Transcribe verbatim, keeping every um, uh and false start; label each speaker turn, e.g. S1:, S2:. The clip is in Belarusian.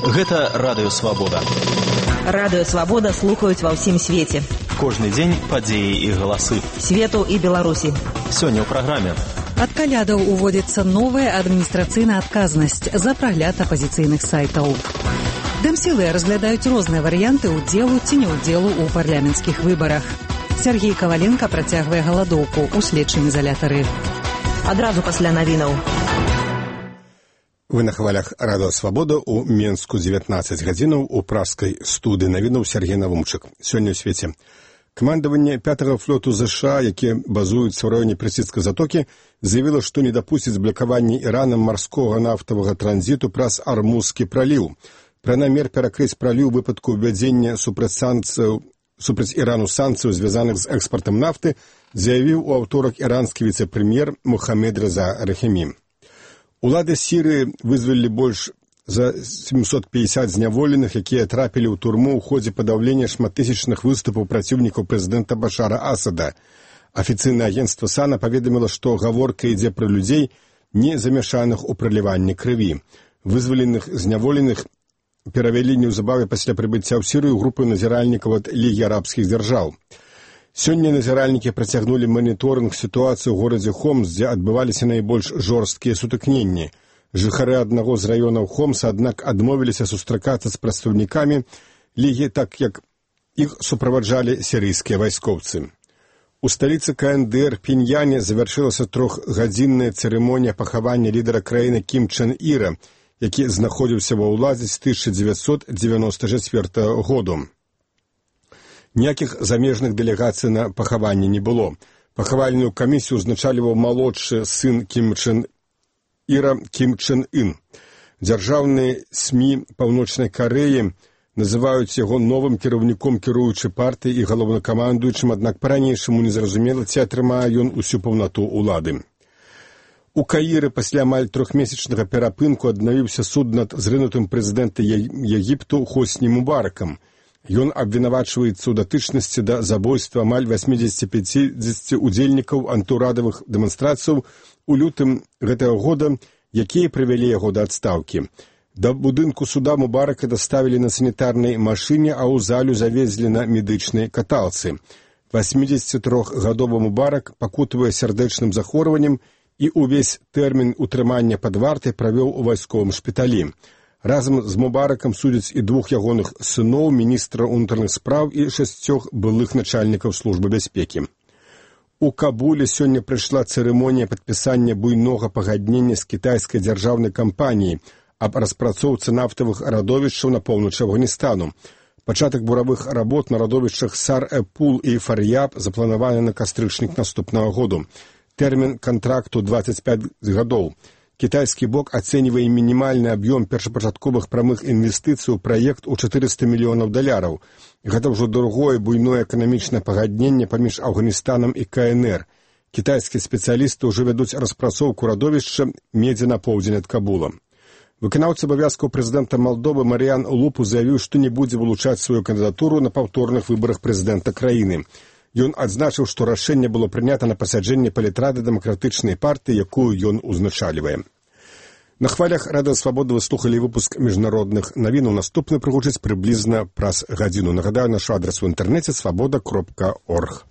S1: Гэта Радыё Свабода.
S2: Радыё Свабода слухаюць ва ўсім свеце.
S1: Кожны дзень падзеі і галасы.
S2: Свету і Беларусі.
S1: Сёння ў праграме.
S3: Ад калядаў уводзіцца новая адміністрацыйная адказнасць за прагляд апазіцыйных сайтаў. Дэмсілы разглядаюць розныя варыянты ўдзелу ці няўдзелу ў парламенцкіх выбарах. Сергей Каваленка працягвае галадоўку ў следчым изалятары.
S2: Адразу пасля навінаў.
S4: Вы на хвалях Радыё Свабода ў Менску дзевятнаццаць гадзінаў у пражскай студыі навінаў Сергей Навумчык. Сёння ў свеце. Камандаванне пятага флоту ЗША, якія базуюцца ў раёне Персідскай затокі, заявіла, што не дапусціць блакавання Іранам марскога нафтавага транзіту праз Армузскі праліў. Пра намер перакрыць праліў у выпадку ўвядзення супраць санкцыяў супраць Ірану санкцыяў, звязаных з экспартам нафты, заявіў у аўторак іранскі віцэ-прэм'ер Мухаммед Реза Рахімі. Улады Сірыі вызвалілі больш за семьсот пятьдесят зняволеных, якія трапілі ў турму ў ходзе падаўлення шматтысячных выступаў праціўнікаў прэзідэнта Башара Асада. Афіцыйнае агенцтва САНА паведаміла, што гаворка ідзе пра людзей, не замяшаных у праліванні крыві. Вызваленых зняволеных перавялі неўзабаве пасля прыбыцця ў Сірыю групы назіральнікаў ад Лігі арабскіх дзяржаў. Сёння назіральнікі працягнулі маніторынг сітуацыі ў горадзе Хомс, дзе адбываліся найбольш жорсткія сутыкненні. Жыхары аднаго з раёнаў Хомса, аднак, адмовіліся сустракацца з прадстаўнікамі Лігі, так як іх суправаджалі сірыйскія вайскоўцы. У сталіцы КНДР Піньяне завяршылася трохгадзінная цырымонія пахавання лідара краіны Кім Чен Іра, які знаходзіўся ва ўладзе з тысяча дзевяцьсот дзевяноста чацвёртага году. Ніякіх замежных дэлегацый на пахаванне не было. Пахавальную камісію ўзначальваў малодшы сын Кім Чен Іра Кім Чен Ын. Дзяржаўныя СМІ Паўночнай Карэі называюць яго новым кіраўніком кіруючай партыі і галоўнакамандуючым, аднак па-ранейшаму незразумела, ці атрымае ён усю паўнату ўлады. У Каіры пасля амаль трохмесячнага перапынку аднавіўся суд над зрынутым прэзідэнта Егіпту Хосні Мубаракам. Ён абвінавачваецца ў датычнасці да забойства амаль восьмидесяти пяти удзельнікаў антыўрадавых дэманстрацыяў у лютым гэтага года, якія прывялі яго да адстаўкі. Да будынку суда Мубарака даставілі на санітарнай машыне, а ў залю завезлі на медычнай каталцы. восьмидесятитрохгадовы Мубарак пакутавае сардэчным захворваннем і ўвесь тэрмін утрымання пад вартай правёў у вайсковым шпіталі. Разам з Мубаракам судзяць і двух ягоных сыноў, міністра ўнутраных спраў і шасцёх былых начальнікаў службы бяспекі. У Кабуле сёння прыйшла цырымонія падпісання буйнога пагаднення з кітайскай дзяржаўнай кампаніяй аб распрацоўцы нафтавых радовішчаў на поўначы Афганістану. Пачатак буравых работ на радовішчах Сар-э-Пул і Фар'яб запланаваны на кастрычнік наступнага году. Тэрмін кантракту дваццаць пяць гадоў. Кітайскі бок ацэньвае мінімальны аб'ём першапачатковых прамых інвестыцый у праект у чатырыста мільёнаў даляраў. Гэта ўжо другое буйное эканамічнае пагадненне паміж Афганістанам і КНР. Кітайскія спецыялісты ўжо вядуць распрацоўку радовішча медзі на поўдзень ад Кабула. Выканаўца абавязкаў прэзідэнта Малдовы Марыян Лупу заявіў, што не будзе вылучаць сваю кандыдатуру на паўторных выбарах прэзідэнта краіны. Ён адзначыў, што рашэнне было прынята на пасяджэнні палітрады дэмакратычнай партыі, якую ён узначальвае. На хвалях Радыё Свабода вы слухалі выпуск міжнародных навінаў. Наступны прыгучыць прыблізна праз гадзіну. Нагадаю, наш адрас у інтэрнэце свабода кропка орг.